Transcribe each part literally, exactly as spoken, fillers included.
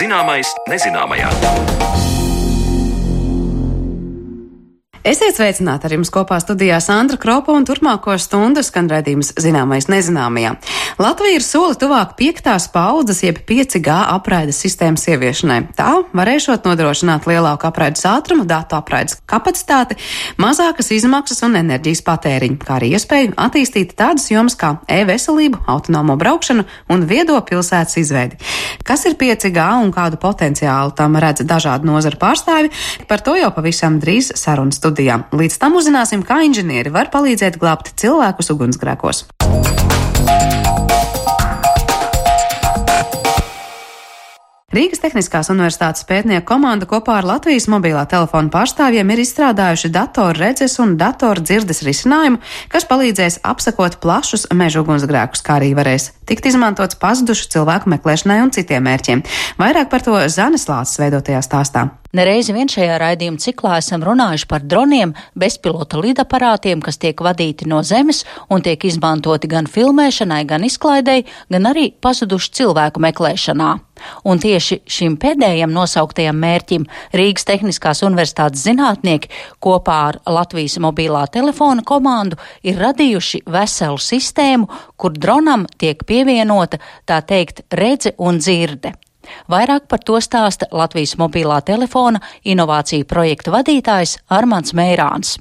Zināmais nezināmajā. Esiet sveicināti, ar jums kopā studijā Sandra Kropa un turpmāko stundu skan raidījums Zināmais nezināmajā. Latvija ir soli tuvāk piektās paudzes jeb pieci G apraides sistēmas ieviešanai. Tā varēšot nodrošināt lielāku apraides ātrumu, datu apraides kapacitāti, mazākas izmaksas un enerģijas patēriņu, kā arī iespēju attīstīt tādas jomas kā e-veselību, autonomo braukšanu un viedo pilsētas izveidi. Kas ir pieci G un kādu potenciālu tam redz dažādu nozaru pārstāvi, par to jau pavisam drīz sarunas studijā. Līdz tam uzzināsim, kā inženieri var palīdzēt glābt cilvēkus ugunsgrēkos. Rīgas Tehniskās universitātes pētnieku komanda kopā ar Latvijas mobilā telefona pārstāvjiem ir izstrādājuši datoru redzes un datoru dzirdes risinājumu, kas palīdzēs apsekot plašus meža ugunsgrēkus, kā arī varēs tikt izmantots pazudušu cilvēku meklēšanai un citiem mērķiem. Vairāk par to Zanes Lāces veidotajā stāstā. Nereizi vien šajā raidījuma ciklā esam runājuši par droniem, bezpilota lidaparātiem, kas tiek vadīti no zemes un tiek izmantoti gan filmēšanai, gan izklaidei, gan arī pazudušu cilvēku meklēšanā. Un tieši šim pēdējam nosauktajam mērķim Rīgas Tehniskās universitātes zinātnieki kopā ar Latvijas mobilā telefona komandu ir radījuši veselu sistēmu, kur dronam tiek pievienota, tā teikt, redze un dzirde. Vairāk par to stāsta Latvijas mobilā telefona inovāciju projekta vadītājs Armands Meirāns.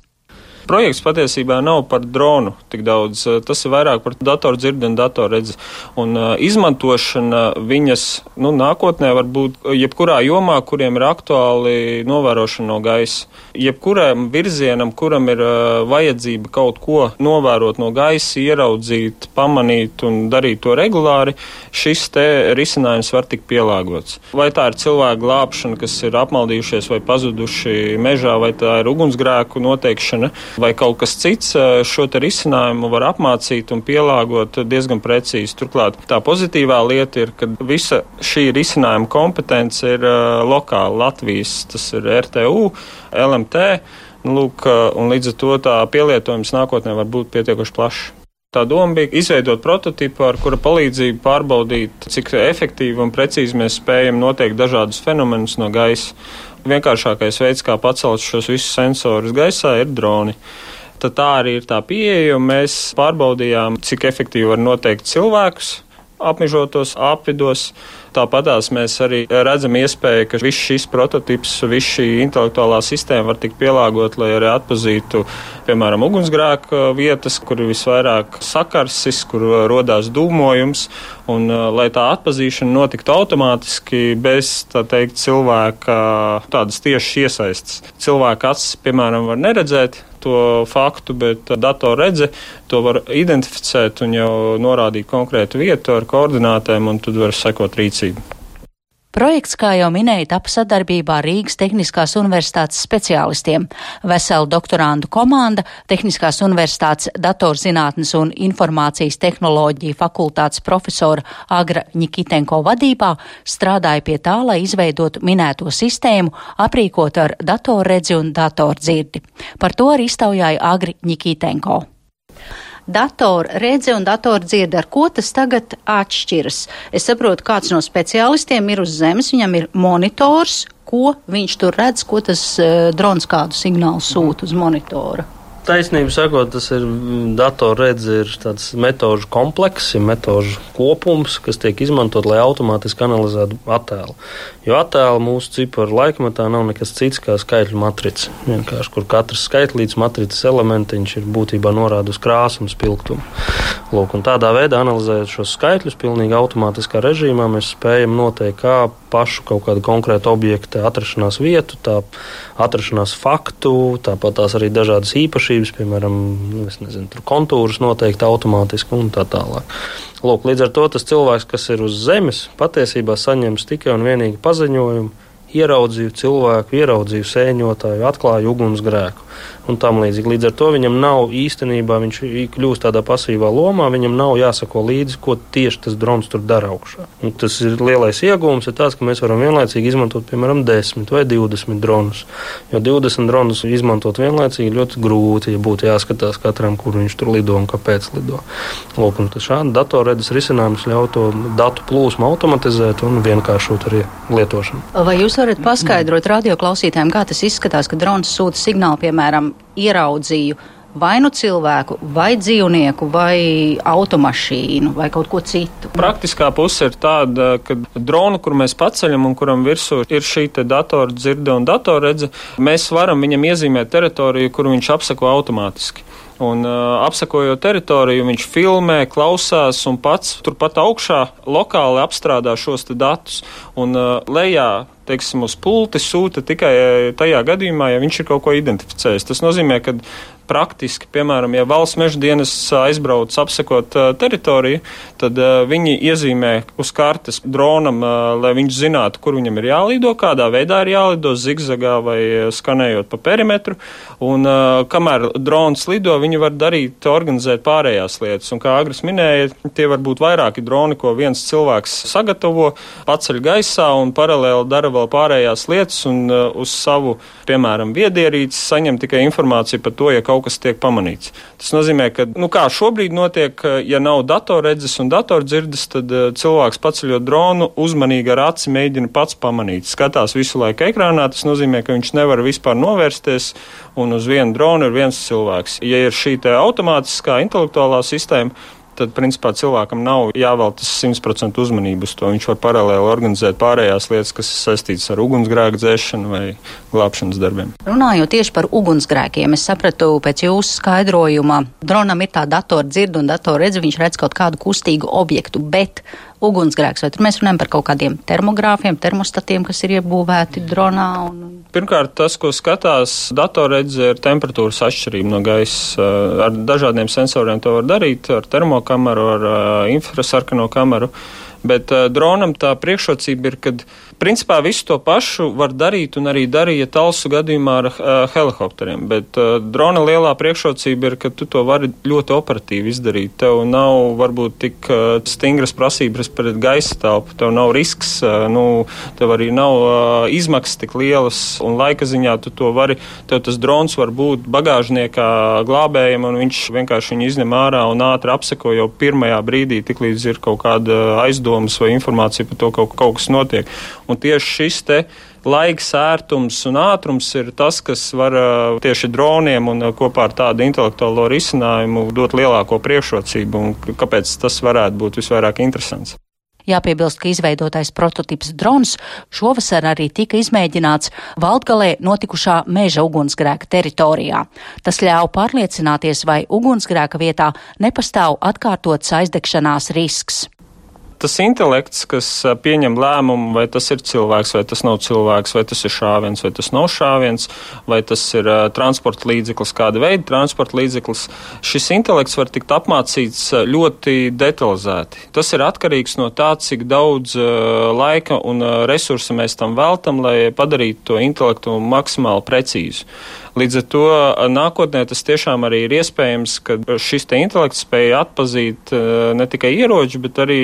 Projekts patiesībā nav par dronu tik daudz, tas ir vairāk par datoru dzirdi un datoru redzi. Un uh, izmantošana viņas, nu, nākotnē var būt jebkurā jomā, kuriem ir aktuāli novērošana no gaisa. Jebkuram virzienam, kuram ir uh, vajadzība kaut ko novērot no gaisa, ieraudzīt, pamanīt un darīt to regulāri, šis te risinājums var tikt pielāgots. Vai tā ir cilvēku glābšana, kas ir apmaldījušies vai pazuduši mežā, vai tā ir ugunsgrēku noteikšana, vai kaut kas cits, šo te risinājumu var apmācīt un pielāgot diezgan precīzi. Turklāt tā pozitīvā lieta ir, ka visa šī risinājuma kompetence ir uh, lokāla Latvijas, tas ir R T U, L M T, lūk, un līdz ar to tā pielietojums nākotnē var būt pietiekoši plašs. Tā doma bija izveidot prototipu, ar kura palīdzību pārbaudīt, cik efektīvi un precīzi mēs spējam noteikt dažādus fenomenus no gaisa. Vienkāršākais veids, kā pacelt šos visus sensorus gaisā, ir droni. Tad tā arī ir tā pieeja, un mēs pārbaudījām, cik efektīvi var noteikt cilvēkus apmežotos apvidos. Tāpatās mēs arī redzam iespēju, ka viss šis prototips, viss šī intelektuālā sistēma var tikt pielāgot, lai arī atpazītu, piemēram, ugunsgrēku vietas, kur ir visvairāk sakarsis, kur rodās dūmojums, un lai tā atpazīšana notiktu automātiski bez, tā teikt, cilvēka tādas tiešas iesaistas. Cilvēka acis, piemēram, var neredzēt to faktu, bet datorredze to var identificēt un jau norādīt konkrētu vietu ar koordinātēm, un tad var sekot rīcību. Projekts, kā jau minēja, tapa sadarbībā ar Rīgas Tehniskās universitātes speciālistiem. Vesela doktorandu komanda Tehniskās universitātes datorzinātnes un informācijas tehnoloģiju fakultātes profesora Agra Ņikitenko vadībā strādāja pie tā, lai izveidotu minēto sistēmu, aprīkot ar datorredzi un datordzirdi. Par to arī iztaujāja Agri Ņikitenko. Datora redze un datora dzirde, ar ko tas tagad atšķiras? Es saprotu, kāds no speciālistiem ir uz zemes, viņam ir monitors, ko viņš tur redz, ko tas uh, drons kādu signālu sūta uz monitora. Taisnība sakot, tas ir datorredze, ir tāds metožu komplekss, ir metožu kopums, kas tiek izmantot, lai automātiski analizētu attēlu. Jo attēlu mūsu ciparu laikmetā nav nekas cits kā skaitļu matrica. Vienkārši, kur katrs skaitlīts matricas elementiņš ir būtībā norāda uz krāsu un spilgtumu. Lūk, un tādā veidā analizējot šos skaitļus pilnīgi automātiskā režīmā, mēs spējam noteikt, kā pašu kaut kādu konkrētu objektu atrašanās vietu, tā atrašanās faktu, tāpat tās arī dažādas īpašības, piemēram, es nezinu, tur kontūrus noteikti automātiski un tā tālāk. Lūk, līdz ar to tas cilvēks, kas ir uz zemes, patiesībā saņems tikai un vienīgi paziņojumu, ieraudzīju cilvēku, ieraudzīju sēņotāju, atklāju ugunsgrēku. un tam līdzīgi. Līdz ar to viņam nav īstenībā, viņš kļūst tādā pasīvā lomā, viņam nav jāsako līdzi, ko tieši tas drons tur dara augšā. Un tas ir lielais iegūms, ir tāds, ka mēs varam vienlaicīgi izmantot, piemēram, desmit vai divdesmit dronus. Jo divdesmit dronus izmantot vienlaicīgi ļoti grūti, ja būtu jāskatās katram, kur viņš tur lido un kāpēc lido. Lūk, un šādi datorredzes risinājums ļauj to datu plūsmu automatizēt un vienkāršot arī lietošanu. Vai jūs varat paskaidrot radioklausītājiem, kā tas izskatās, ka drons sūta signālu, piemēram, ieraudzīju vai nu cilvēku, vai dzīvnieku, vai automašīnu, vai kaut ko citu? Praktiskā puse ir tāda, ka dronu, kur mēs paceļam un kuram virsū ir šī te datora dzirde un datorredze, mēs varam viņam iezīmēt teritoriju, kuru viņš apseko automātiski. Un uh, apsakojot teritoriju, viņš filmē, klausās un pats turpat augšā lokāli apstrādā šos te datus. Un uh, lejā, teiksim, uz pulti sūta tikai tajā gadījumā, ja viņš ir kaut ko identificējis. Tas nozīmē, ka praktiski, piemēram, ja valsts meža dienas aizbrauc apsekot uh, teritoriju, tad uh, viņi iezīmē uz kartes dronam, uh, lai viņš zinātu, kur viņam ir jālido, kādā veidā ir jālido, zigzagā vai skanējot pa perimetru. Un uh, kamēr drons lido, viņi var darīt, organizēt pārējās lietas. Un kā Agris minēja, tie var būt vairāki droni, ko viens cilvēks sagatavo, paceļ gaisā un paralēli dara vēl pārējās lietas un uh, uz savu, piemēram, viedierīci saņem tikai informāciju par to, ja kaut kas tiek pamanīts. Tas nozīmē, ka, nu kā šobrīd notiek, ja nav datorredzes un datordzirdes, tad uh, cilvēks paceļot dronu uzmanīgi ar aci mēģina pats pamanīt. Skatās visu laiku ekrānā, tas nozīmē, ka viņš nevar vispār novērsties un uz vienu dronu ir viens cilvēks. Ja ir šī te automātiskā intelektuālā sistēma, tad, principā, cilvēkam nav jāveltas simt procentu uzmanību uz to. Viņš var paralēli organizēt pārējās lietas, kas ir saistītas ar ugunsgrēku dzēšanu vai glābšanas darbiem. Runājot tieši par ugunsgrēkiem, es sapratu pēc jūsu skaidrojuma, dronam ir tā datordzirde un datorredze, viņš redz kaut kādu kustīgu objektu, bet ugunsgrēks, vai tur mēs runājam par kaut kādiem termogrāfiem, termostatiem, kas ir iebūvēti dronā? Un... Pirmkārt, tas, ko skatās datorredze, ir temperatūras atšķirība no gaisa. Ar dažādiem sensoriem to var darīt, ar termokameru, ar infrasarkano kameru. Bet uh, dronam tā priekšrocība ir, kad principā visu to pašu var darīt un arī darīja Talsu gadījumā ar uh, helikopteriem. Bet uh, drona lielā priekšrocība ir, ka tu to vari ļoti operatīvi izdarīt. Tev nav varbūt tik uh, stingras prasības pret gaisa telpu, tev nav risks, uh, nu, tev arī nav uh, izmaksas tik lielas un laika ziņā tu to vari. Tev tas drons var būt bagāžniekā glābējam un viņš vienkārši viņu izņem ārā un ātri apseko jau pirmajā brīdī, tik līdz ir kaut kāda aizdomība vai informācija par to, ka kaut, kaut kas notiek. Un tieši šis te laiks, ērtums un ātrums ir tas, kas var tieši droniem un kopā ar tādu intelektuālo risinājumu dot lielāko priekšrocību un kāpēc tas varētu būt visvairāk interesants. Jāpiebilst, ka izveidotais prototips drons šovasar arī tika izmēģināts Valdgalē notikušā meža ugunsgrēka teritorijā. Tas ļauj pārliecināties, vai ugunsgrēka vietā nepastāv atkārtots aizdegšanās risks. Tas intelekts, kas pieņem lēmumu, vai tas ir cilvēks, vai tas nav cilvēks, vai tas ir šāviens, vai tas nav šāviens, vai tas ir uh, transporta līdzeklis, kāda veida transporta līdzeklis, šis intelekts var tikt apmācīts ļoti detalizēti. Tas ir atkarīgs no tā, cik daudz uh, laika un uh, resursa mēs tam veltam, lai padarītu to intelektu maksimāli precīzu. Līdz ar to nākotnē tas tiešām arī ir iespējams, ka šis te intelekts spēja atpazīt ne tikai ieroči, bet arī,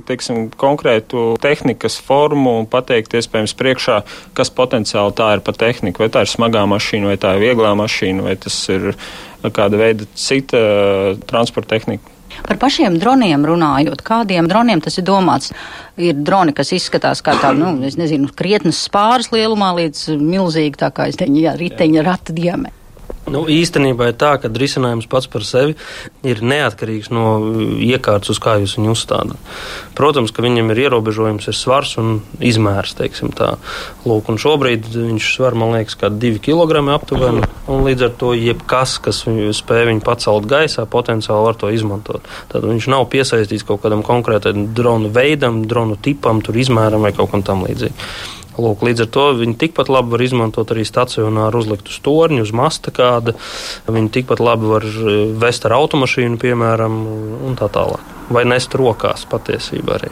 teiksim, konkrētu tehnikas formu un pateikt iespējams priekšā, kas potenciāli tā ir pa tehniku, vai tā ir smagā mašīna, vai tā ir vieglā mašīna, vai tas ir kāda veida cita transporta tehnika. Par pašiem droniem runājot, kādiem droniem tas ir domāts? Ir droni, kas izskatās kā tā, nu, es nezinu, krietnes spāras lielumā līdz milzīgi tā kā, es teņu, jā, riteņa rata diametru. Nu, īstenībā ir tā, ka risinājums pats par sevi ir neatkarīgs no iekārtas, uz kā jūs viņu uzstādāt. Protams, ka viņam ir ierobežojums, ir svars un izmērs, teiksim tā. Lūk, un šobrīd viņš svar, man liekas, kā divi kilogrami aptuveni, un līdz ar to jebkas, kas viņu spēj viņu pacelt gaisā, potenciāli var to izmantot. Tad viņš nav piesaistīts kaut kādam konkrētam dronu veidam, dronu tipam, tur izmēram vai kaut kam tam līdzīgi. Lūk, līdz ar to viņi tikpat labi var izmantot arī stacionāru uzlikt uz torņu, uz masta kāda. Viņi tikpat labi var vest ar automašīnu, piemēram, un tā tālāk. Vai nest rokās patiesībā arī.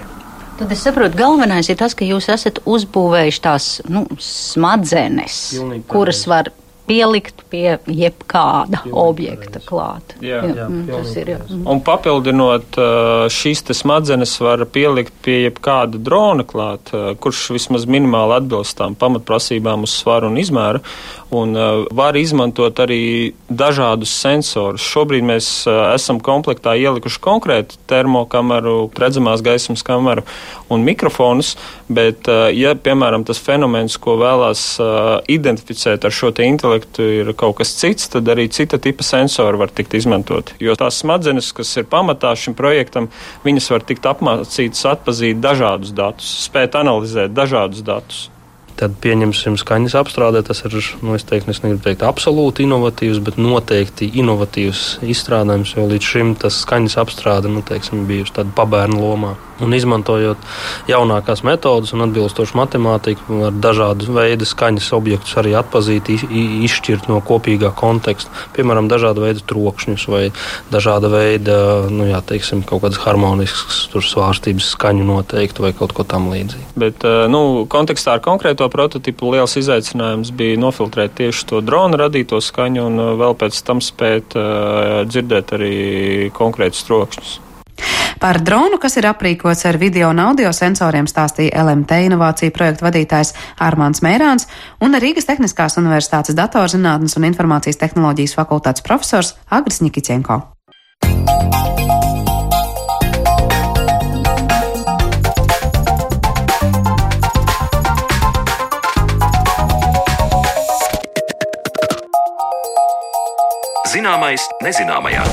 Tad es saprotu, galvenais ir tas, ka jūs esat uzbūvējuši tās, nu, smadzenes, kuras var pielikt pie jebkāda pilnīgi objekta pareizi. Klāt. Jā, jā, jā mm, tas ir. Jā. Un papildinot, šīs te smadzenes var pielikt pie jebkāda drona klāt, kurš vismaz minimāli atbilst tām pamatprasībām uz svaru un izmēru, un var izmantot arī dažādus sensorus. Šobrīd mēs esam komplektā ielikuši konkrētu termokameru, redzamās gaismas kameru un mikrofonus, bet, ja, piemēram, tas fenomens, ko vēlās identificēt ar šo te intelektu, ir kaut kas cits, tad arī cita tipa sensori var tikt izmantot. Jo tās smadzenes, kas ir pamatā šim projektam, viņas var tikt apmācītas atpazīt dažādus datus, spēt analizēt dažādus datus. Tad pieņemsim skaņas apstrādē, tas ir, nu, es teiktu, es negribu teikt absolūti inovatīvs, bet noteikti inovatīvs izstrādājums, jo līdz šim tas skaņas apstrāde, nu, teiksim, bijuši tāda pabērnu lomā. Un izmantojot jaunākās metodas un atbilstošu matemātiku, var dažādu veidu skaņas objektus arī atpazīt, izšķirt no kopīgā konteksta. Piemēram, dažāda veida trokšņus vai dažāda veida, nu, jā, teiksim, kaut kādas harmoniskas tur svārstības skaņu noteikti vai kaut ko tam līdzīgi. Bet, nu, kontekstā ar konkrēto prototipu liels izaicinājums bija nofiltrēt tieši to drona radīto skaņu un vēl pēc tam spēt uh, dzirdēt arī konkrētus trokšņus. Par dronu, kas ir aprīkots ar video un audio sensoriem, stāstīja L M T inovāciju projektu vadītājs Armāns Mērāns un Rīgas Tehniskās universitātes datorzinātnes un informācijas tehnoloģijas fakultātes profesors Agris Ņikiķenko. Zināmais nezināmajā.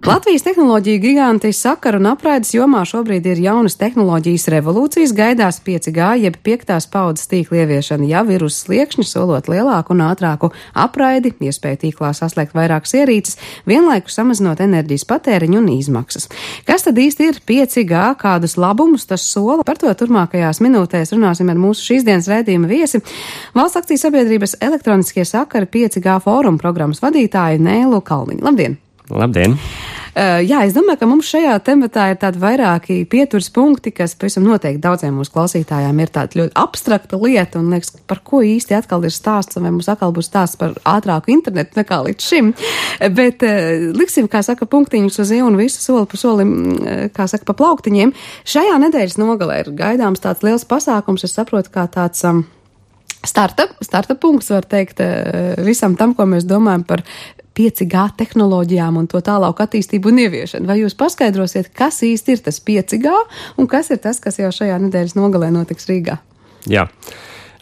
Latvijas tehnoloģiju giganti sakaru un apraides jomā šobrīd ir jaunas tehnoloģijas revolūcijas, gaidās pieci G, jeb piektās paudzes tīkla ieviešana jau ir uz sliekšņa, solot lielāku un ātrāku apraidi, iespēju tīklā saslēgt vairākas ierīces, vienlaikus samazinot enerģijas patēriņu un izmaksas. Kas tad īsti ir pieci G, kādus labumus tas sola? Par to turmākajās minūtēs runāsim ar mūsu šīs dienas raidījuma viesi, Valsts akciju sabiedrības elektroniskie sakari pieci G fóruma programmas vadītāju Nēlu Kalniņu. Labdien! Labdien! Uh, jā, es domāju, ka mums šajā tematā ir tādi vairāki pieturas punkti, kas pavisam noteikti daudziem mūsu klausītājām ir tāda ļoti abstrakta lieta un liekas, par ko īsti atkal ir stāsts, vai mums atkal būs stāsts par ātrāku internetu nekā līdz šim. Bet uh, liksim, kā saka, punktiņus uz ielu un visu soli pa solim, uh, kā saka, pa plauktiņiem. Šajā nedēļas nogalē ir gaidāms tāds liels pasākums, es saprotu, kā tāds um, starta, starta punkts, var teikt, uh, visam tam, ko mēs domājam par pieci G tehnoloģijām un to tālāku attīstību un ieviešanu. Vai jūs paskaidrosiet, kas īsti ir tas pieci G un kas ir tas, kas jau šajā nedēļas nogalē notiks Rīgā? Jā,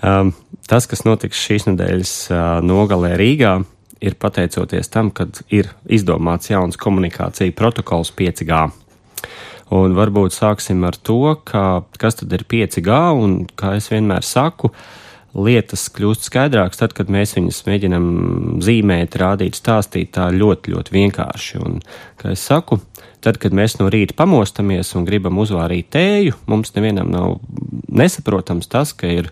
um, tas, kas notiks šīs nedēļas uh, nogalē Rīgā, ir pateicoties tam, kad ir izdomāts jauns komunikācija protokols pieci G. Un varbūt sāksim ar to, ka, kas tad ir pieci G un, kā es vienmēr saku, lietas kļūst skaidrākas tad, kad mēs viņus mēģinam zīmēt, rādīt, stāstīt tā ļoti, ļoti vienkārši. Un, kā es saku, tad, kad mēs no rīta pamostamies un gribam uzvārīt tēju, mums nevienam nav nesaprotams tas, ka ir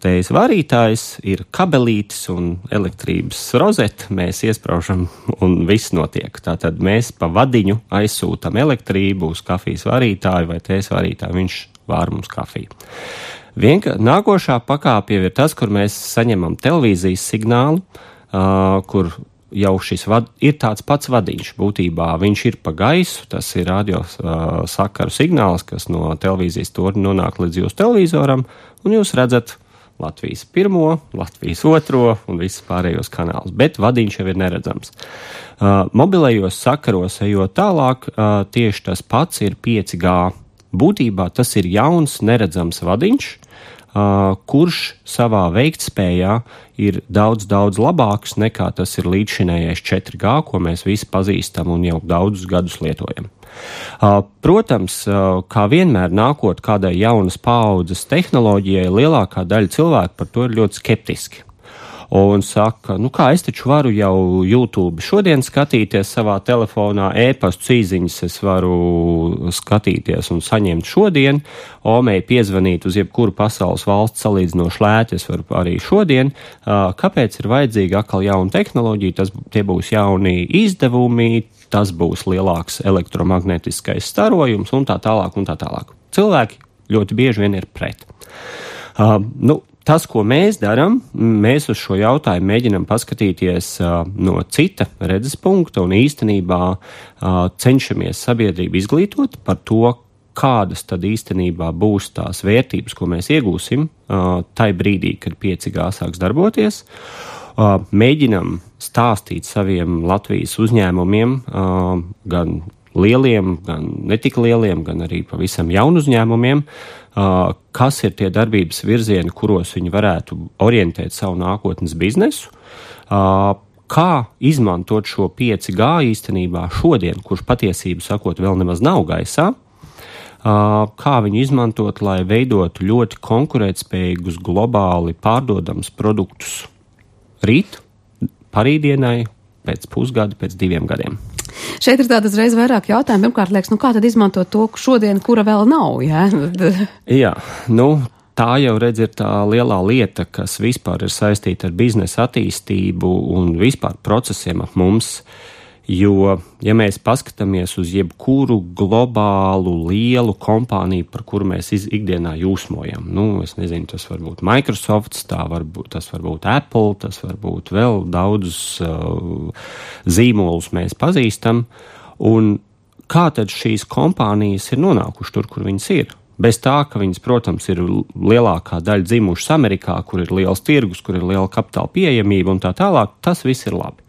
tējas varītājs, ir kabelītis un elektrības rozete, mēs iespraužam un viss notiek. Tātad mēs pa vadiņu aizsūtam elektrību uz kafijas varītāju vai tējas varītāju, viņš vār mums kafiju. Vienka, nākošā pakāpja ir tas, kur mēs saņemam televīzijas signālu, uh, kur jau šis vad, ir tāds pats vadiņš. Būtībā viņš ir pa gaisu, tas ir radio uh, sakaru signāls, kas no televīzijas torņa nonāk līdz jūsu televizoram, un jūs redzat Latvijas pirmo, Latvijas otro un visus pārējos kanālus, bet vadiņš jau ir neredzams. Uh, mobilajos sakaros ejot tālāk, uh, tieši tas pats ir pieci G. Būtībā tas ir jauns, neredzams vadiņš, uh, kurš savā veiktspējā ir daudz, daudz labāks nekā tas ir līdzšinējais četri G, ko mēs visi pazīstam un jau daudzus gadus lietojam. Uh, protams, uh, kā vienmēr nākot kādai jaunas paaudzes tehnoloģijai, lielākā daļa cilvēku par to ir ļoti skeptiski. Un saka, nu kā es taču varu jau YouTube šodien skatīties savā telefonā, e-pastu īziņas es varu skatīties un saņemt šodien, omei piezvanīt uz jebkuru pasaules valsts salīdzinoši lēti, es varu arī šodien. Kāpēc ir vajadzīga atkal jauna tehnoloģija? Tas, tie būs jauni izdevumi, tas būs lielāks elektromagnetiskais starojums un tā tālāk un tā tālāk. Cilvēki ļoti bieži vien ir pret. Uh, nu, tas, ko mēs darām, mēs uz šo jautājumu mēģinam paskatīties uh, no cita redzes punkta un īstenībā uh, cenšamies sabiedrību izglītot par to, kādas tad īstenībā būs tās vērtības, ko mēs iegūsim uh, tai brīdī, kad pieci G sāks darboties. Uh, mēģinam stāstīt saviem Latvijas uzņēmumiem, uh, gan lieliem, gan netik lieliem, gan arī pavisam jaunu uzņēmumiem, uh, kas ir tie darbības virzieni, kuros viņi varētu orientēt savu nākotnes biznesu, uh, kā izmantot šo pieci G īstenībā šodien, kurš patiesību sakot vēl nemaz nav gaisā, kā viņu izmantot, lai veidotu ļoti konkurētspējīgus, globāli pārdodamus produktus rīt, parītdienai, pēc pusgada, pēc diviem gadiem. Šeit ir tāda uzreiz vairāk jautājumu. Pirmkārt, liekas, nu kā tad izmantot to šodien, kura vēl nav, jā? Jā, nu, tā jau redz ir tā lielā lieta, kas vispār ir saistīta ar biznesa attīstību un vispār procesiem ap mums. Jo, ja mēs paskatāmies uz jebkuru globālu lielu kompāniju, par kuru mēs ikdienā jūsmojam, nu, es nezinu, tas var būt Microsoft, tā var būt, tas var būt Apple, tas var būt vēl daudzus uh, zīmolus mēs pazīstam, un kā tad šīs kompānijas ir nonākuši tur, kur viņas ir? Bez tā, ka viņas, protams, ir lielākā daļa dzimušas Amerikā, kur ir liels tirgus, kur ir liela kapitāla pieejamība un tā tālāk, tas viss ir labi.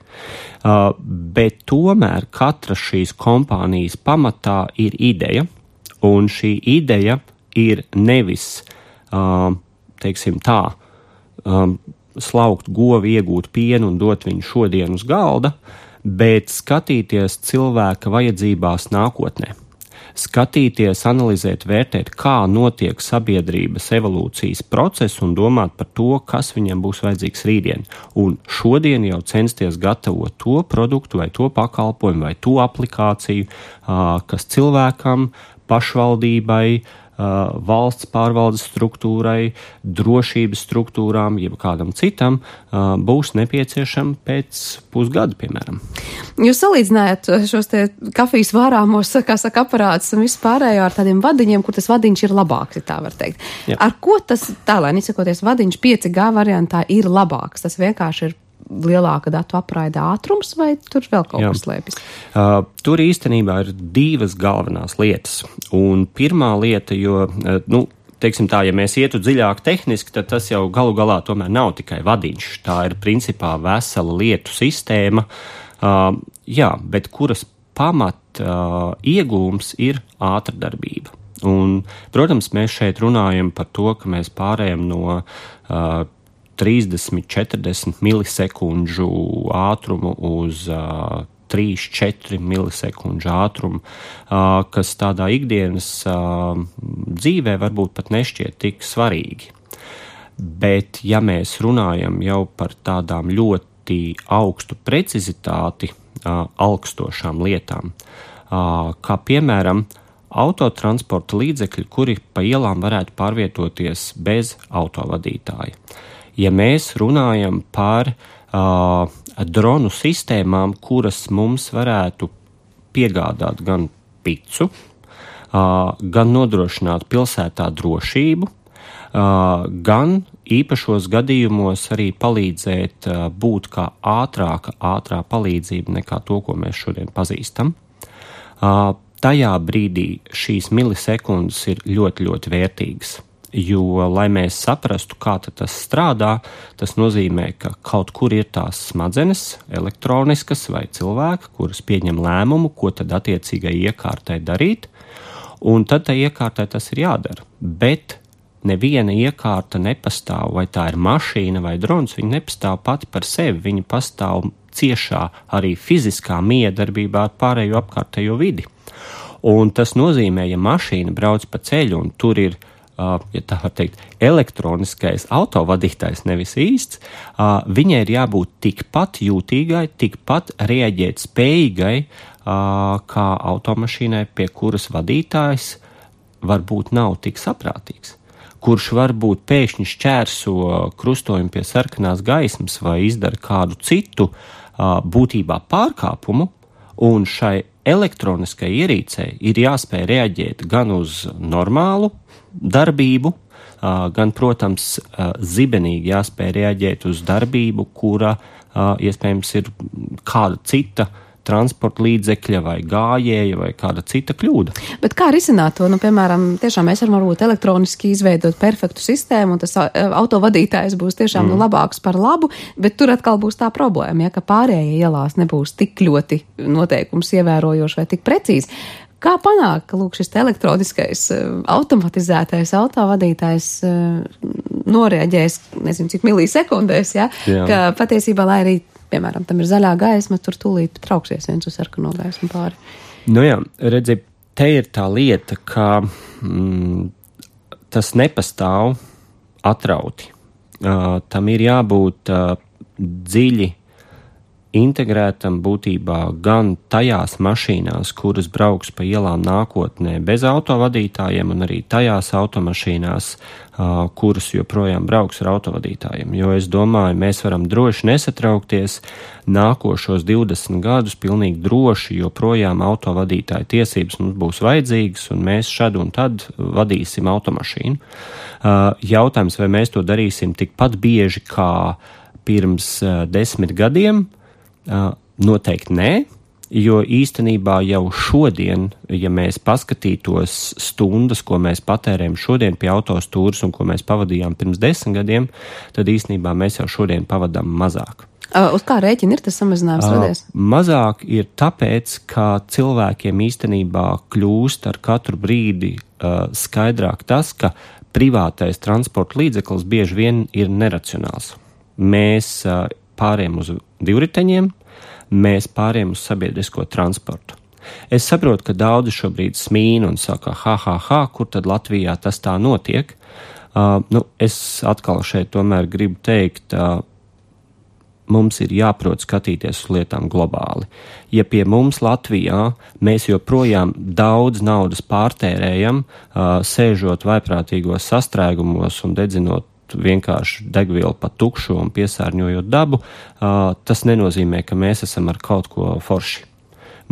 Uh, bet tomēr katra šīs kompānijas pamatā ir ideja, un šī ideja ir nevis, uh, teiksim tā, um, slaukt govi, iegūt pienu un dot viņu šodien uz galda, bet skatīties cilvēka vajadzībās nākotnē. Skatīties, analizēt, vērtēt, kā notiek sabiedrības evolūcijas process un domāt par to, kas viņam būs vajadzīgs rītdien. Un šodien jau censties gatavot to produktu vai to pakalpojumu vai to aplikāciju, kas cilvēkam, pašvaldībai, valsts pārvaldes struktūrai, drošības struktūrām, jeb kādam citam būs nepieciešama pēc pusgada, piemēram. Jūs salīdzinājāt šos te kafijas vārāmos, kā saka, aparātus un visu pārējo ar tādiem vadiņiem, kur tas vadiņš ir labāks, tā var teikt. Jā. Ar ko tas tālāk, izsakoties, vadiņš pieci G variantā ir labāks? Tas vienkārši ir lielāka datu apraide ātrums vai tur vēl kaut kas slēpjas? Uh, tur īstenībā ir divas galvenās lietas. Un pirmā lieta, jo, uh, nu, teiksim tā, ja mēs ietu dziļāk tehniski, tad tas jau galu galā tomēr nav tikai vadiņš. Tā ir principā vesela lietu sistēma, uh, jā, bet kuras pamat uh, iegūms ir ātrdarbība. Un, protams, mēs šeit runājam par to, ka mēs pārējam no uh, trīsdesmit četrdesmit milisekundžu ātrumu uz uh, trīs četri milisekundžu ātrumu, uh, kas tādā ikdienas uh, dzīvē varbūt pat nešķiet tik svarīgi. Bet, ja mēs runājam jau par tādām ļoti augstu precizitāti uh, augstošām lietām, uh, kā piemēram autotransporta līdzekļi, kuri pa ielām varētu pārvietoties bez autovadītāja. Ja mēs runājam par uh, dronu sistēmām, kuras mums varētu piegādāt gan picu, uh, gan nodrošināt pilsētā drošību, uh, gan īpašos gadījumos arī palīdzēt uh, būt kā ātrāka, ātrā palīdzība nekā to, ko mēs šodien pazīstam. Uh, tajā brīdī šīs milisekundes ir ļoti, ļoti vērtīgas. Jo, lai mēs saprastu, kā tas strādā, tas nozīmē, ka kaut kur ir tās smadzenes, elektroniskas vai cilvēki, kuras pieņem lēmumu, ko tad attiecīgai iekārtai darīt, un tad tai iekārtai tas ir jādara. Bet neviena iekārta nepastāv, vai tā ir mašīna vai drons, viņa nepastāv pati par sevi, viņa pastāv ciešā arī fiziskā miedarbībā ar pārējo apkārtējo vidi. Un tas nozīmē, ja mašīna brauc pa ceļu un tur ir, Uh, ja tā var teikt, elektroniskais autovadītājs, nevis īsts, uh, viņai ir jābūt tikpat jūtīgai, tikpat reaģēt spējīgai, uh, kā automašīnai, pie kuras vadītājs varbūt nav tik saprātīgs, kurš varbūt pēkšņi šķērso krustojumu pie sarkanās gaismas vai izdara kādu citu uh, būtībā pārkāpumu, un šai elektroniskai ierīcei ir jāspēj reaģēt gan uz normālu darbību, gan, protams, zibenīgi jāspēj reaģēt uz darbību, kura iespējams ir kāda cita transporta līdzekļa vai gājēja vai kāda cita kļūda. Bet kā risināt to? Nu, piemēram, tiešām mēs varam varbūt elektroniski izveidot perfektu sistēmu, un tas autovadītājs būs tiešām mm. nu, labāks par labu, bet tur atkal būs tā problēma, ja, ka pārējie ielās nebūs tik ļoti noteikums ievērojoši vai tik precīzi. Kā panākt, ka lūk, šis elektroniskais automatizētais autovadītājs noreaģēs, nezinu, cik milisekundēs, ja, Jā. ka patiesībā, lai arī piemēram, tam ir zaļā gaisma, tur tūlīt trauksies viens uz sarkano gaismu pāri. Nu jā, redzi, te ir tā lieta, ka mm, tas nepastāv atrauti. Uh, tam ir jābūt uh, dziļi integrētam būtībā gan tajās mašīnās, kuras brauks pa ielām nākotnē bez autovadītājiem, un arī tajās automašīnās, uh, kuras joprojām brauks ar autovadītājiem. Jo es domāju, mēs varam droši nesatraukties nākošos divdesmit gadus pilnīgi droši, joprojām autovadītāju tiesības mums būs vajadzīgas, un mēs šad un tad vadīsim automašīnu. Uh, jautājums, vai mēs to darīsim tikpat bieži kā pirms uh, desmit gadiem, Uh, noteikti nē, jo īstenībā jau šodien, ja mēs paskatītos stundas, ko mēs patērējam šodien pie autostūras un ko mēs pavadījām pirms desmit gadiem, tad īstenībā mēs jau šodien pavadām mazāk. Uh, uz kā rēķina ir tas samazinājums radies? Uh, mazāk ir tāpēc, ka cilvēkiem īstenībā kļūst ar katru brīdi uh, skaidrāk tas, ka privātais transporta līdzeklis bieži vien ir neracionāls. Mēs uh, pāriem uz divriteņiem, mēs pāriem uz sabiedrisko transportu. Es saprotu, ka daudzi šobrīd smīna un saka, ha, ha, ha, kur tad Latvijā tas tā notiek. Uh, nu, es atkal šeit tomēr gribu teikt, uh, mums ir jāprot skatīties uz lietām globāli. Ja pie mums Latvijā mēs joprojām daudz naudas pārtērējam, uh, sēžot vaiprātīgos sastrēgumos un dedzinot vienkārši degvielu pa tukšu un piesārņojot dabu, uh, tas nenozīmē, ka mēs esam ar kaut ko forši.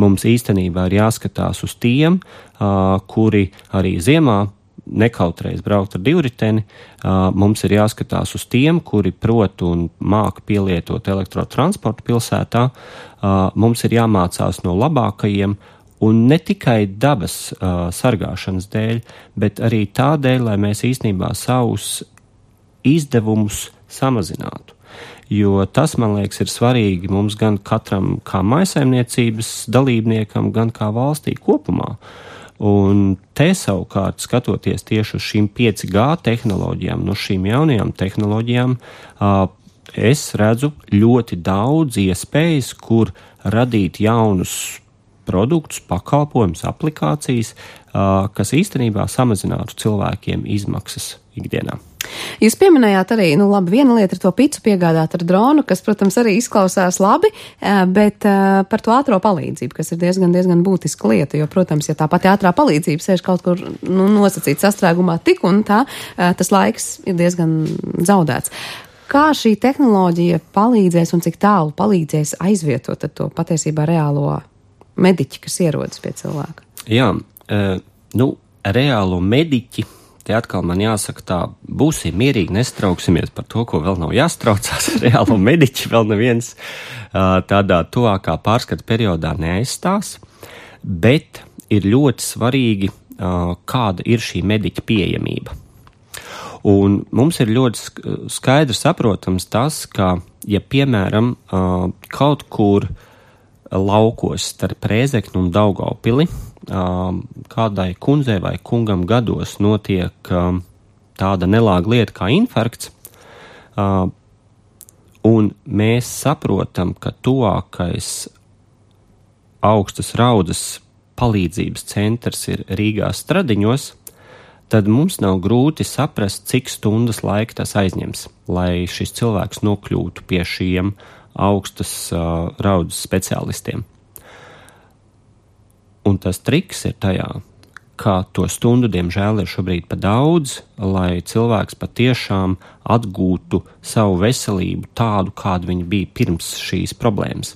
Mums īstenībā ir jāskatās uz tiem, uh, kuri arī ziemā nekautrēs braukt ar divriteni, uh, mums ir jāskatās uz tiem, kuri prot un māk pielietot elektrotransportu pilsētā, uh, mums ir jāmācās no labākajiem, un ne tikai dabas uh, sargāšanas dēļ, bet arī tādēļ, lai mēs īstenībā savus izdevumus samazinātu. Jo tas, man liekas, ir svarīgi mums gan katram kā mājsaimniecības dalībniekam, gan kā valstī kopumā. Un te savukārt, skatoties tieši uz šīm pieci G tehnoloģijām, no šīm jaunajām tehnoloģijām, es redzu ļoti daudz iespējas, kur radīt jaunus produktus, pakalpojumus, aplikācijas, kas īstenībā samazinātu cilvēkiem izmaksas ikdienā. Jūs pieminējāt arī, nu labi, viena lieta ir to picu piegādāt ar dronu, kas, protams, arī izklausās labi, bet par to ātro palīdzību, kas ir diezgan, diezgan būtiska lieta, jo, protams, ja tā pati ātrā palīdzība sēž kaut kur, nu, nosacīt sastrēgumā tik un tā, tas laiks ir diezgan zaudēts. Kā šī tehnoloģija palīdzēs un cik tālu palīdzēs aizvietot to patiesībā reālo mediķi, kas ierodas pie cilvēka? Jā, nu, reālo mediķi, te atkal man jāsaka tā, būsim mierīgi, nestrauksimies par to, ko vēl nav jāstraucās. Reālo mediķi vēl neviens tādā tuvākā pārskata periodā neaizstās, bet ir ļoti svarīgi, kāda ir šī mediķa pieejamība. Un mums ir ļoti skaidrs saprotams tas, ka, ja piemēram kaut kur laukos starp Rēzekni un Daugavpili kādai kundzei vai kungam gados notiek tāda nelāga lieta kā infarkts, un mēs saprotam, ka tuvākais augstas raudzes palīdzības centrs ir Rīgā Stradiņos, tad mums nav grūti saprast, cik stundas laika tas aizņems, lai šis cilvēks nokļūtu pie šiem augstas uh, raudzes speciālistiem. Un tas triks ir tajā, ka to stundu, diemžēl, ir šobrīd pa daudz, lai cilvēks patiešām atgūtu savu veselību tādu, kādu viņa bija pirms šīs problēmas.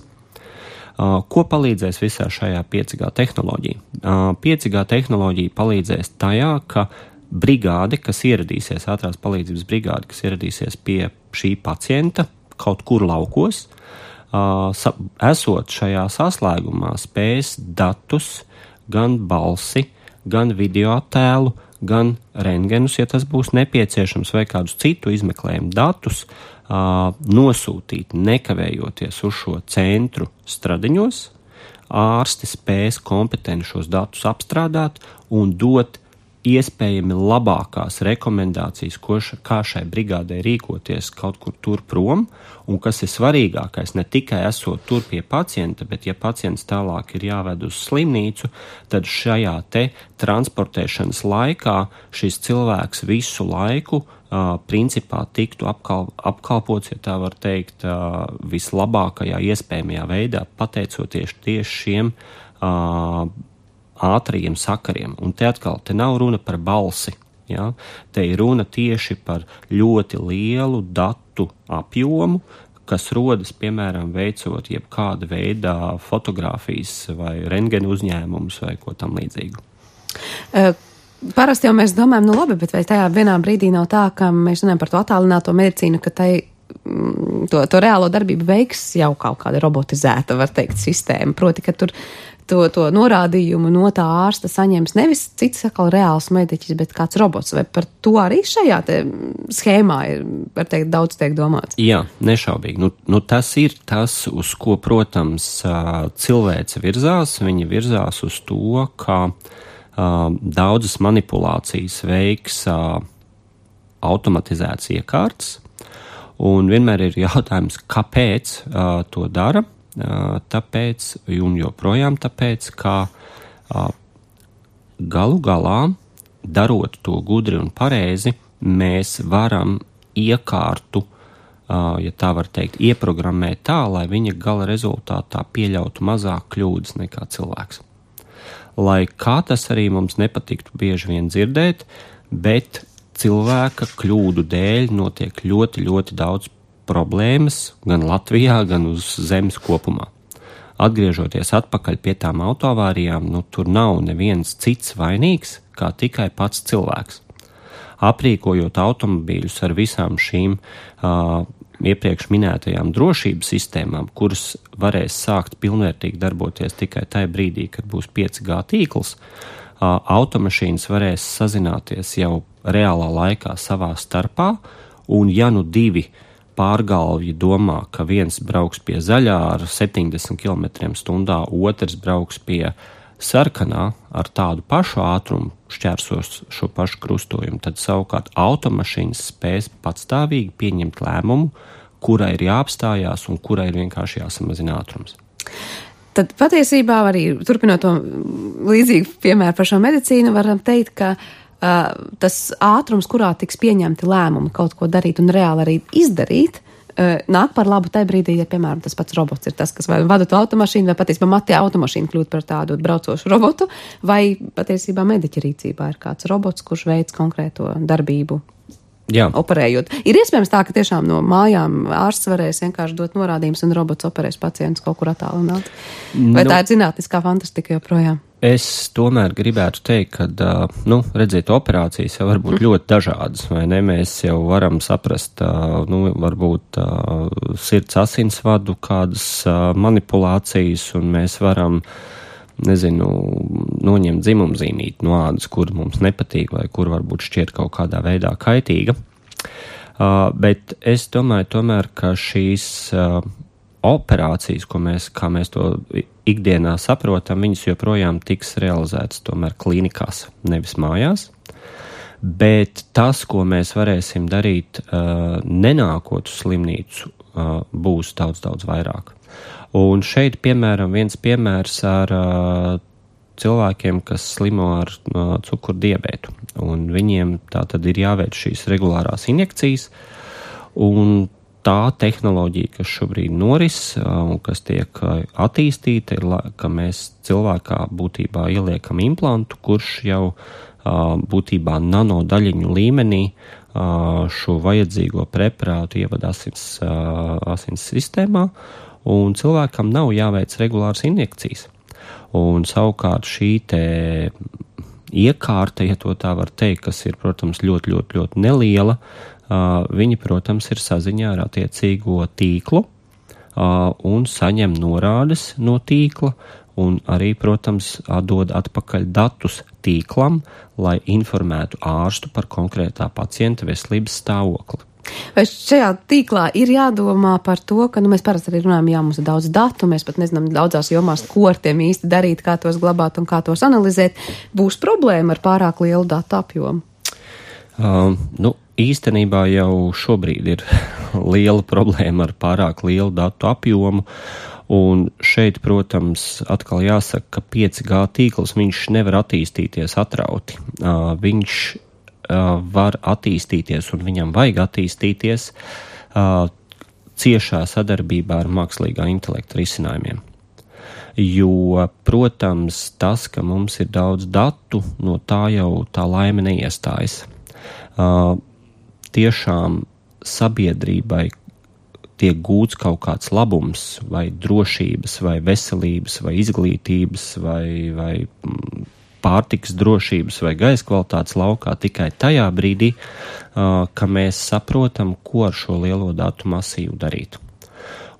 Uh, ko palīdzēs visā šajā pieci G tehnoloģija? Uh, pieci G tehnoloģija palīdzēs tajā, ka brigāde, kas ieradīsies, ātrās palīdzības brigāde, kas ieradīsies pie šī pacienta kaut kur laukos, uh, sa, esot šajā saslēgumā, spēs datus, gan balsi, gan video attēlu, gan rentgenus, ja tas būs nepieciešams, vai kādus citu izmeklējumu datus, uh, nosūtīt nekavējoties uz šo centru Stradiņos. Ārsti spēs kompetenti šos datus apstrādāt un dot iespējami labākās rekomendācijas, ko ša, kā šai brigādē rīkoties kaut kur tur prom, un kas ir svarīgākais, ne tikai esot tur pie pacienta, bet ja pacients tālāk ir jāved uz slimnīcu, tad šajā te transportēšanas laikā šis cilvēks visu laiku uh, principā tiktu apkal, apkalpots, ja tā var teikt, uh, vislabākajā iespējamajā veidā, pateicoties tieši šiem uh, ātrajiem sakariem. Un te atkal, te nav runa par balsi, ja? Te ir runa tieši par ļoti lielu datu apjomu, kas rodas, piemēram, veicot jebkāda veidā fotogrāfijas vai rentgenu uzņēmumus vai ko tam līdzīgu. Uh. Parasti jau mēs domājam, nu labi, bet vai tajā vienā brīdī nav tā, ka mēs runājam par to attālināto medicīnu, ka tai, to, to reālo darbību veiks jau kaut kāda robotizēta, var teikt, sistēma. Proti, ka tur to, to norādījumu no tā ārsta saņems nevis cits atkal reāls mediķis, bet kāds robots. Vai par to arī šajā te schēmā ir, var teikt, daudz tiek domāts? Jā, nešaubīgi. Nu, nu tas ir tas, uz ko, protams, cilvēce virzās. Viņa virzās uz to, ka Uh, daudzas manipulācijas veiks uh, automatizēts iekārts, un vienmēr ir jautājums, kāpēc uh, to dara, uh, tāpēc, un joprojām tāpēc, ka uh, galu galā, darot to gudri un pareizi, mēs varam iekārtu, uh, ja tā var teikt, ieprogrammēt tā, lai viņa gala rezultātā pieļautu mazāk kļūdas nekā cilvēks. Lai kā tas arī mums nepatiktu bieži vien dzirdēt, bet cilvēka kļūdu dēļ notiek ļoti, ļoti daudz problēmas gan Latvijā, gan uz zemes kopumā. Atgriežoties atpakaļ pie tām autoavārijām, nu tur nav neviens cits vainīgs, kā tikai pats cilvēks. Aprīkojot automobīļus ar visām šīm uh, iepriekš minētajām drošības sistēmām, kuras varēs sākt pilnvērtīgi darboties tikai tajā brīdī, kad būs pieci G tīkls, automašīnas varēs sazināties jau reālā laikā savā starpā, un ja nu divi pārgalvji domā, ka viens brauks pie zaļā ar septiņdesmit kilometriem stundā, otrs brauks pie sarkanā ar tādu pašu ātrumu, šķērsos šo pašu krustojumu, tad savukārt automašīnas spēs patstāvīgi pieņemt lēmumu, kurai ir jāapstājās un kurai ir vienkārši jāsamazina ātrums. Tad patiesībā arī, turpinot to līdzīgu piemēru par šo medicīnu, varam teikt, ka uh, tas ātrums, kurā tiks pieņemti lēmumi kaut ko darīt un reāli arī izdarīt, nāk par labu tajā brīdī, ja, piemēram, tas pats robots ir tas, kas vai vada to automašīnu, vai patiesībā matī automašīnu kļūt par tādu braucošu robotu, vai patiesībā mediķa rīcībā ir kāds robots, kurš veic konkrēto darbību. Jā. Operējot. Ir iespējams tā, ka tiešām no mājām ārsts varēs vienkārši dot norādījumus un robots operēs pacientus kaut kur attālināt. Vai nu, tā ir zinātniskā fantastika joprojām? Es tomēr gribētu teikt, ka, nu, redziet, operācijas jau var būt ļoti dažādas, vai ne? Mēs jau varam saprast, nu, varbūt sirds asinsvadu kādas manipulācijas, un mēs varam, nezinu, noņemt dzimumzīmīti no ādas, kur mums nepatīk, vai kur varbūt šķiet kaut kādā veidā kaitīga. Bet es domāju tomēr, ka šīs operācijas, ko mēs, kā mēs to ikdienā saprotam, viņas joprojām tiks realizētas tomēr klīnikās, nevis mājās. Bet tas, ko mēs varēsim darīt, uh, nenākot uz slimnīcu, uh, būs daudz, daudz vairāk. Un šeit, piemēram, viens piemērs ar uh, cilvēkiem, kas slimo ar uh, cukurdiabētu. Un viņiem tā tad ir jāveic šīs regulārās injekcijas, un tā tehnoloģija, kas šobrīd noris un kas tiek attīstīta, ir, ka mēs cilvēkā būtībā ieliekam implantu, kurš jau būtībā nanodaļiņu līmenī šo vajadzīgo preparātu ievada asins, asins sistēmā, un cilvēkam nav jāveic regulāras injekcijas. Un savukārt šī te iekārta, ja to tā var teikt, kas ir, protams, ļoti, ļoti, ļoti neliela, uh, viņi, protams, ir saziņā ar attiecīgo tīklu uh, un saņem norādes no tīkla un arī, protams, dod atpakaļ datus tīklam, lai informētu ārstu par konkrētā pacienta veselības stāvokli. Vai šajā tīklā ir jādomā par to, ka nu, mēs parasti arī runājam, jā, mums ir daudz datu, mēs pat nezinām daudzās jomās, ko ar tiem īsti darīt, kā tos glabāt un kā tos analizēt. Būs problēma ar pārāk lielu datu apjomu? Uh, nu, īstenībā jau šobrīd ir liela problēma ar pārāk lielu datu apjomu. Un šeit, protams, atkal jāsaka, ka pieci G tīkls viņš nevar attīstīties atrauti. Uh, viņš var attīstīties un viņam vajag attīstīties uh, ciešā sadarbībā ar mākslīgā intelekta risinājumiem. Jo, protams, tas, ka mums ir daudz datu, no tā jau tā laime neiestājas. Uh, tiešām sabiedrībai tiek gūts kaut kāds labums vai drošības, vai veselības, vai izglītības, vai, vai pārtikas drošības vai gaisa kvalitātes laukā tikai tajā brīdī, ka mēs saprotam, ko ar šo lielo datu masīvu darīt.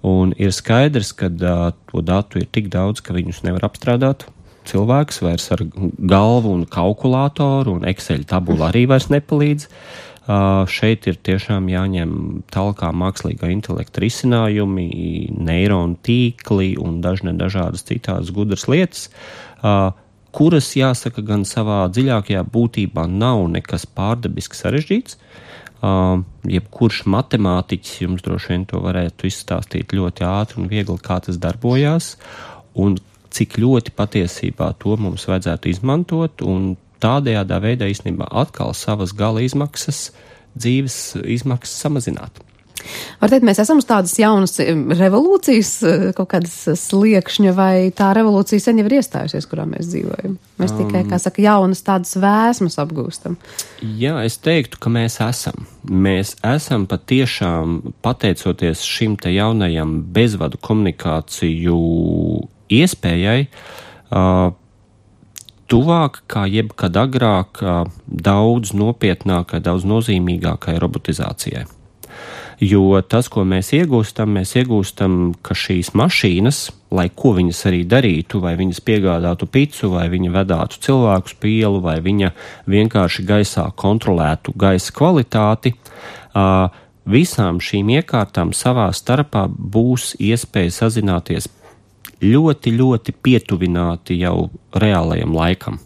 Un ir skaidrs, ka to datu ir tik daudz, ka viņus nevar apstrādāt cilvēks vairs ar galvu un kalkulātoru, un Excel tabula arī vairs nepalīdz. Šeit ir tiešām jāņem talkā mākslīgā intelekta risinājumi, neironu tīkli un dažne dažādas citās gudras lietas, kuras, jāsaka, gan savā dziļākajā būtībā nav nekas pārdabiski sarežģīts. Uh, jebkurš matemātiķis jums droši vien to varētu izstāstīt ļoti ātri un viegli, kā tas darbojās, un cik ļoti patiesībā to mums vajadzētu izmantot, un tādējādā veidā īstenībā atkal savas gala izmaksas, dzīves izmaksas samazināt. Var teikt, mēs esam uz tādas jaunas revolūcijas, kaut kādas sliekšņa, vai tā revolūcija sen jau ir iestājusies, kurā mēs dzīvojam? Mēs um, tikai, kā saka, jaunas tādas vēsmas apgūstam. Jā, es teiktu, ka mēs esam. Mēs esam patiešām, pateicoties šim te jaunajam bezvadu komunikāciju iespējai, uh, tuvāk kā jebkad agrāk uh, daudz nopietnākai, daudz nozīmīgākai robotizācijai. Jo tas, ko mēs iegūstam, mēs iegūstam, ka šīs mašīnas, lai ko viņas arī darītu, vai viņas piegādātu picu, vai viņa vedātu cilvēkus pa ielu, vai viņa vienkārši gaisā kontrolētu gaisa kvalitāti, visām šīm iekārtām savā starpā būs iespēja sazināties ļoti, ļoti pietuvināti jau reālajam laikam.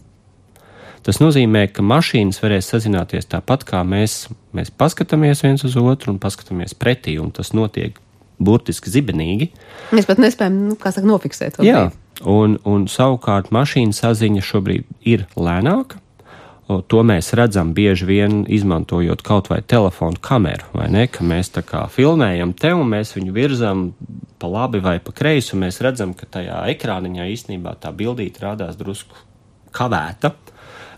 Tas nozīmē, ka mašīnas varēs sazināties tāpat, kā mēs, mēs paskatāmies viens uz otru un paskatāmies pretī, un tas notiek burtiski zibenīgi. Mēs pat nespējam, nu, kā saka, nofiksēt. Jā, un, un savukārt mašīna saziņa šobrīd ir lēnāka. To mēs redzam bieži vien izmantojot kaut vai telefonu kameru, vai ne, ka mēs tā kā filmējam te un mēs viņu virzam pa labi vai pa kreisi, un mēs redzam, ka tajā ekrāniņā īstenībā tā bildīte rādās drusku kavēta.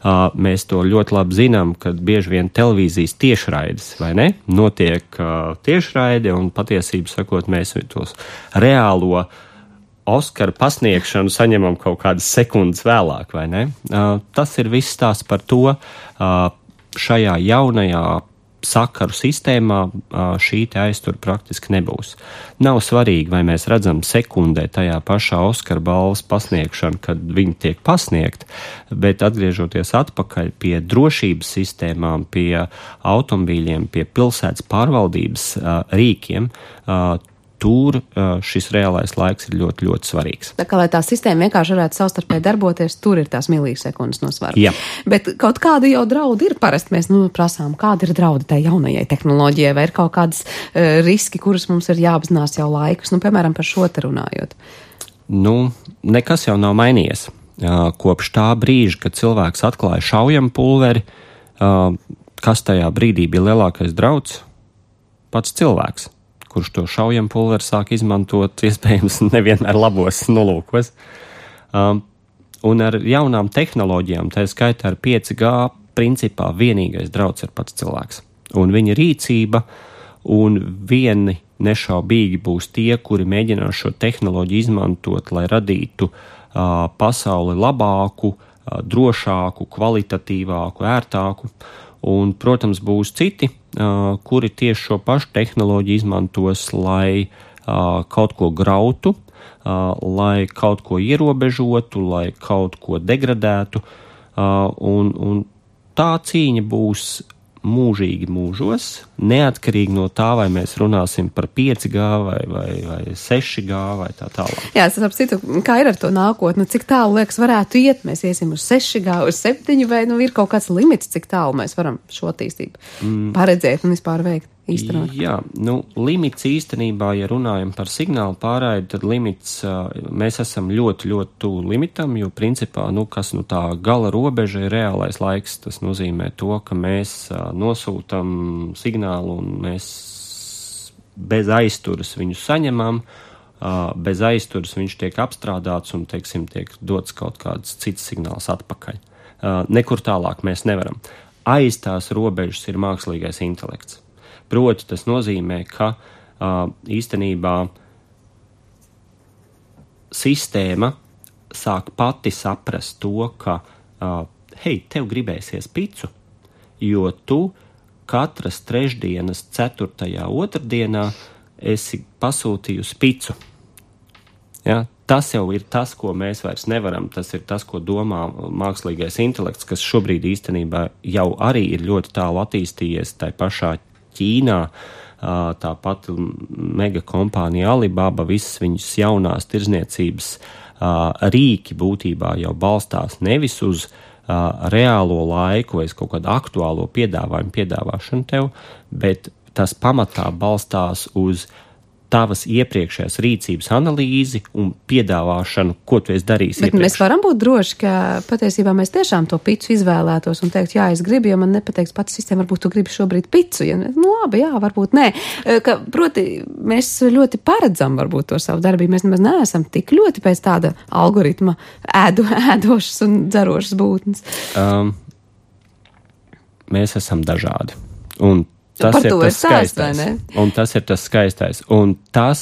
Uh, mēs to ļoti labi zinām, kad bieži vien televīzijas tiešraides, vai ne, notiek uh, tiešraide, un patiesību sakot, mēs tos reālo Oskara pasniegšanu saņemam kaut kādas sekundes vēlāk, vai ne? Uh, tas ir viss stāsts par to, uh, šajā jaunajā sakaru sistēmā šī te aiztur praktiski nebūs. Nav svarīgi, vai mēs redzam sekundē tajā pašā Oskara balvas pasniegšanu, kad viņi tiek pasniegt, bet atgriežoties atpakaļ pie drošības sistēmām, pie automobīļiem, pie pilsētas pārvaldības rīkiem, tur šis reālais laiks ir ļoti, ļoti svarīgs. Tā kā, lai tā sistēma vienkārši varētu savstarpēji darboties, tur ir tās milisekundes no svara. Jā. Bet kaut kādi jau draudi ir. Parasti mēs nu, prasām, kāda ir draudi tai jaunajai tehnoloģijai, vai ir kaut kādas uh, riski, kurus mums ir jāapzinās jau laikus, nu, piemēram, par šo te runājot. Nu, nekas jau nav mainījies. Uh, kopš tā brīža, kad cilvēks atklāja šaujam pulveri, uh, kas tajā brīdī bija lielākais drauds? Pats cilvēks, kurš to šaujam pulveri sāk izmantot, iespējams, nevienmēr labos nolūkos. Um, un ar jaunām tehnoloģijām, tā skaitā ar pieci G, principā vienīgais drauds ir pats cilvēks. Un viņa rīcība, un vieni nešaubīgi būs tie, kuri mēģinās šo tehnoloģiju izmantot, lai radītu uh, pasauli labāku, drošāku, kvalitatīvāku, ērtāku. Un, protams, būs citi, kuri tieši šo pašu tehnoloģiju izmantos, lai kaut ko grautu, lai kaut ko ierobežotu, lai kaut ko degradētu. Un, un tā cīņa būs mūžīgi mūžos, neatkarīgi no tā, vai mēs runāsim par pieci G vai, vai, vai seši G vai tā tālāk. Jā, es saprotu, kā ir ar to nākotni, cik tālu, liekas, varētu iet, mēs iesim uz seši G, uz septiņi, vai nu ir kaut kāds limits, cik tālu mēs varam šo attīstību mm. paredzēt un vispār veikt, īstenot. Jā, nu, limits īstenībā, ja runājam par signālu pārraidi, tad limits, mēs esam ļoti, ļoti tuvu limitam, jo principā, nu, kas nu tā gala robeža ir reālais laiks, tas nozīmē to, ka mēs nosūtam signālu un mēs bez aizturas viņu saņemam, bez aizturas viņš tiek apstrādāts un, teiksim, tiek dots kaut kāds cits signāls atpakaļ. Nekur tālāk mēs nevaram. Aiz tās robežas ir mākslīgais intelekts. Proti, tas nozīmē, ka īstenībā sistēma sāk pati saprast to, ka, hei, tev gribēsies picu, jo tu katras trešdienas ceturtajā otrdienā esi pasūtījusi picu. Ja? Tas jau ir tas, ko mēs vairs nevaram, tas ir tas, ko domā mākslīgais intelekts, kas šobrīd īstenībā jau arī ir ļoti tālu attīstījies tai pašā Ķīnā, tāpat mega kompānija Alibaba, visas viņas jaunās tirzniecības rīki būtībā jau balstās nevis uz reālo laiku vai kaut kādu aktuālo piedāvājumu piedāvāšanu tev, bet tas pamatā balstās uz tavas iepriekšējās rīcības analīzi un piedāvāšanu, ko tu esi darījis Bet iepriekš. Mēs varam būt droši, ka patiesībā mēs tiešām to picu izvēlētos un teikt, jā, es gribu, jo man nepateiks pats sistēma, varbūt tu gribi šobrīd picu, ja, nu labi, jā, varbūt nē. Ka, proti, mēs ļoti paredzam varbūt to savu darbību, mēs nemaz neesam tik ļoti pēc tāda algoritma ēdu, ēdošas un dzerošas būtnes. Um, mēs esam dažādi. Un Tas Par ir to tas ir stāsts, vai skaistais. ne? Un tas ir tas skaistais. Un tas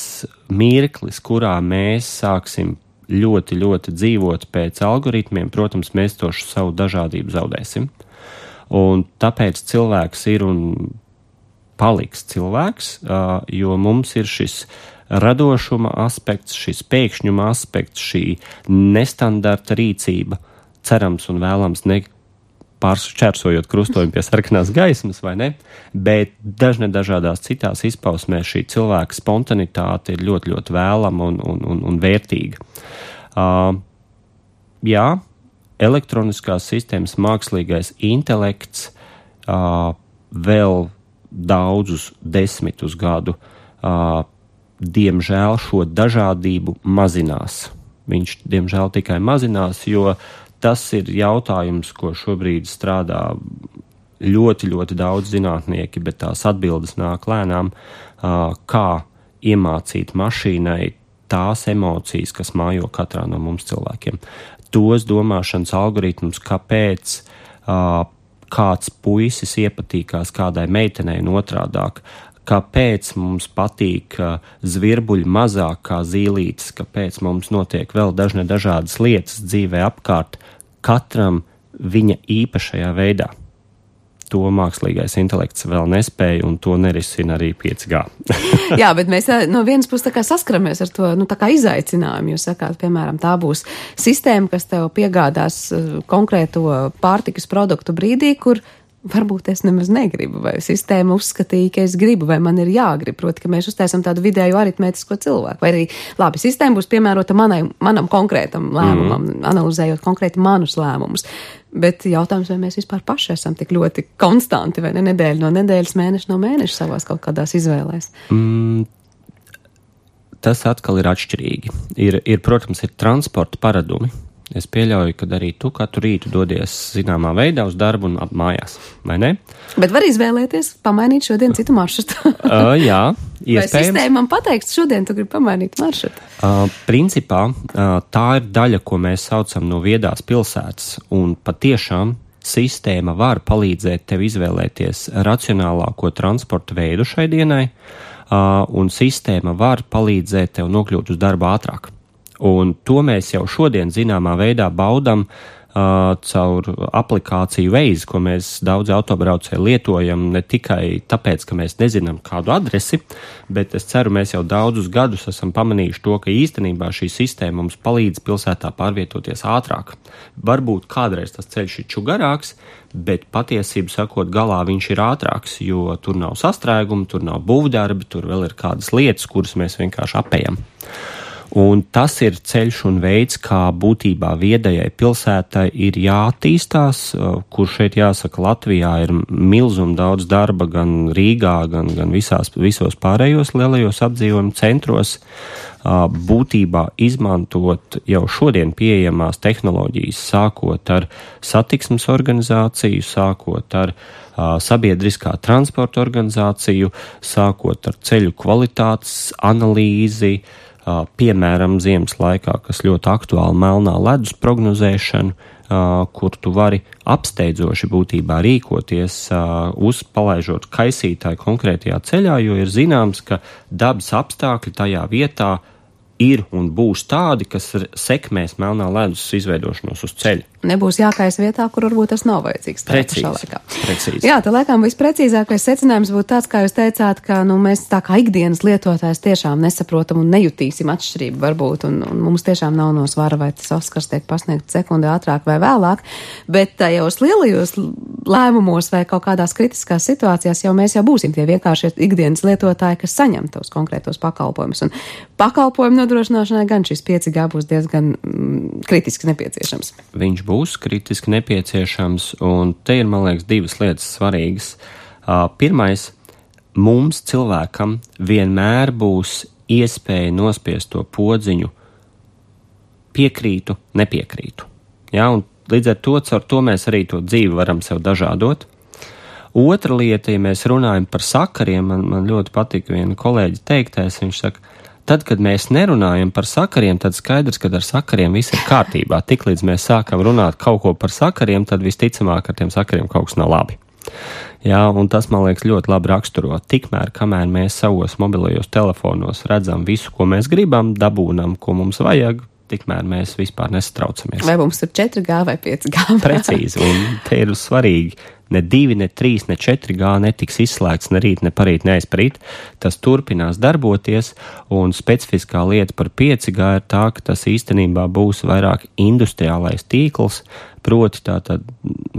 mirklis, kurā mēs sāksim ļoti, ļoti dzīvot pēc algoritmiem, protams, mēs to savu dažādību zaudēsim. Un tāpēc cilvēks ir un paliks cilvēks, jo mums ir šis radošuma aspekts, šis pēkšņuma aspekts, šī nestandarta rīcība, cerams un vēlams ne pāršķērsojot krustojumu pie sarkanās gaismas, vai ne? Bet dažne dažādās citās izpausmēs šī cilvēka spontanitāte ir ļoti, ļoti vēlama un, un, un, un vērtīga. Uh, jā, elektroniskās sistēmas mākslīgais intelekts uh, vēl daudzus desmitus gadu uh, diemžēl šo dažādību mazinās. Viņš, diemžēl, tikai mazinās, jo tas ir jautājums, ko šobrīd strādā ļoti, ļoti daudz zinātnieki, bet tās atbildes nāk lēnām, kā iemācīt mašīnai tās emocijas, kas mājo katrā no mums cilvēkiem. Tos domāšanas algoritmus, kāpēc kāds puisis iepatīkās kādai meitenei un otrādāk, kāpēc mums patīk zvirbuļi mazāk kā zīlītes, kāpēc mums notiek vēl dažne dažādas lietas dzīvē apkārt, katram viņa īpašajā veidā. To mākslīgais intelekts vēl nespēja, un to nerisina arī pieci G. Jā, bet mēs no vienas puses tā kā saskaramies ar to, nu, tā kā izaicinājumu. Jūs sakāt, piemēram, tā būs sistēma, kas tev piegādās konkrēto pārtikas produktu brīdī, kur varbūt es nemaz negribu, vai sistēma uzskatīja, ka es gribu, vai man ir jāgrib. Proti, ka mēs uztaisam tādu vidēju aritmētisko cilvēku. Vai arī, labi, sistēma būs piemērota manai, manam konkrētam lēmumam, mm. analizējot konkrēti manus lēmumus. Bet jautājums, vai mēs vispār paši esam tik ļoti konstanti, vai ne nedēļa no nedēļas, mēneša no mēneša savās kaut kādās izvēlēs? Mm. Tas atkal ir atšķirīgi. Ir, ir, protams, ir transporta paradumi. Es pieļauju, ka arī tu katru rītu dodies zināmā veidā uz darbu un mājās, vai ne? Bet var izvēlēties, pamainīt šodien citu maršrutu. uh, jā, iespējams. Vai sistēma man pateiks, šodien tu gribi pamainīt maršrutu? Uh, principā uh, tā ir daļa, ko mēs saucam no viedās pilsētas, un patiešām sistēma var palīdzēt tev izvēlēties racionālāko transporta veidu šai dienai, uh, un sistēma var palīdzēt tev nokļūt uz darbu ātrāk. Un to mēs jau šodien zināmā veidā baudam, uh, caur aplikāciju Waze, ko mēs daudz autobraucēji lietojam ne tikai tāpēc, ka mēs nezinām kādu adresi, bet es ceru, mēs jau daudzus gadus esam pamanījuši to, ka īstenībā šī sistēma mums palīdz pilsētā pārvietoties ātrāk. Varbūt kādreiz tas ceļš ir čugarāks, bet patiesību sakot, galā viņš ir ātrāks, jo tur nav sastrēguma, tur nav būvdarbi, tur vēl ir kādas lietas, kuras mēs vienkārši apējam. Un tas ir ceļš un veids, kā būtībā viedajai pilsētai ir jāattīstās, kur šeit jāsaka Latvijā ir milzum daudz darba gan Rīgā, gan, gan visās, visos pārējos lielajos apdzīvojumu centros, būtībā izmantot jau šodien pieejamās tehnoloģijas, sākot ar satiksmes organizāciju, sākot ar sabiedriskā transporta organizāciju, sākot ar ceļu kvalitātes analīzi, piemēram, ziemas laikā, kas ļoti aktuāli melnā ledus prognozēšanu, kur tu vari apsteidzoši būtībā rīkoties, uzpalaižot kaisītāju konkrētajā ceļā, jo ir zināms, ka dabas apstākļi tajā vietā ir un būs tādi, kas sekmēs melnā ledus izveidošanos uz ceļa. Nebūs jākais vietā, kur varbūt tas nav vajadzīgs. Precīzi, precīzi. Jā, tā laikam visprecīzākais secinājums būtu tāds, kā jūs teicāt, ka nu, mēs tā kā ikdienas lietotājs tiešām nesaprotam un nejutīsim atšķirību varbūt, un, un mums tiešām nav no svara, vai tas Oskars tiek pasniegt sekundi ātrāk vai vēlāk, bet tajos lielajos lēmumos vai kaut kādās kritiskās situācijās jau mēs jau būsim tie vienkārši ikdienas lietotāji, kas saņem tos konkrētos pakalpojumus. Un pakalpojumu nodrošināšanai gan šis pieci G būs diezgan mm, kritiski nepieciešams. Viņš būs kritiski nepieciešams, un te ir, man liekas, divas lietas svarīgas. Uh, pirmais, mums cilvēkam vienmēr būs iespēja nospiest to podziņu piekrītu, nepiekrītu. Ja, un līdz ar to, caur to mēs arī to dzīvi varam sev dažādot. Otra lieta, ja mēs runājam par sakariem, man, man ļoti patika viena kolēģa teiktais, viņš saka, tad, kad mēs nerunājam par sakariem, tad skaidrs, ka ar sakariem viss ir kārtībā. Tiklīdz mēs sākam runāt kaut ko par sakariem, tad visticamāk ar tiem sakariem kaut kas nav labi. Jā, un tas, man liekas, ļoti labi raksturo. Tikmēr, kamēr mēs savos mobilajos telefonos redzam visu, ko mēs gribam, dabūnam, ko mums vajag, tikmēr mēs vispār nesatraucamies. Vai mums ir četri G vai pieci G? Precīzi, un te ir svarīgi. Ne divi, ne trīs, ne četri G netiks izslēgts ne rīt, ne parīt, ne aizparīt. Tas turpinās darboties, un specifiskā lieta par pieci G ir tā, ka tas īstenībā būs vairāk industriālais tīkls, proti tātad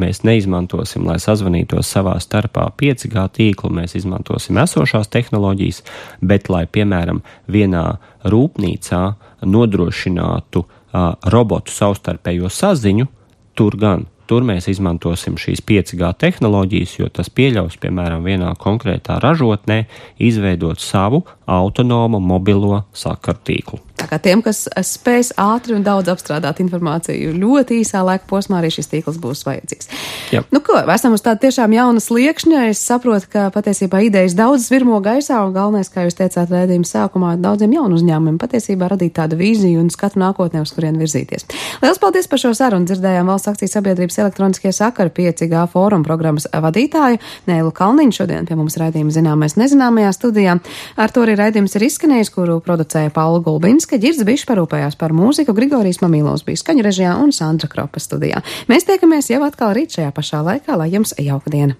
mēs neizmantosim, lai sazvanītos savā starpā pieci G tīklu, mēs izmantosim esošās tehnoloģijas, bet lai, piemēram, vienā rūpnīcā nodrošinātu uh, robotu savstarpējo saziņu, tur gan. Tur mēs izmantosim šīs pieci G tehnoloģijas, jo tas pieļaus, piemēram, vienā konkrētā ražotnē izveidot savu autonomu mobilo sakaru tīklu. Tā kā tiem, kas spēs ātri un daudz apstrādāt informāciju ļoti īsā laika posmā, arī šis tīkls būs vajadzīgs. Jā. Nu ko, esam uz tāda tiešām jauna sliekšņa. Es saprotu, ka patiesībā idejas daudz virmo gaisā, un galvenais, kā jūs teicāt raidījuma sākumā, daudziem jaunu uzņēmumiem patiesībā radīt tādu vīziju un skatu nākotnē, uz kurien virzīties. Liels paldies par šo sarunu. Dzirdējām Valsts akciju sabiedrības elektroniskie sakari pieci G fóruma programmas vadītāju Nēlu Kalniņu. Šodien pie mums raidījuma Zināmais nezināmajā studijā. Ar to arī raidījums ir izskanējis, kuru producēja Paula Gulbinska, Ģirds Bišs parūpējās par mūziku, Grigorijs Mamīlovs bija skaņu režijā un Sandra Kropa studijā. Mēs tiekamies jau atkal rīt šajā pašā laikā, lai jums jauka diena!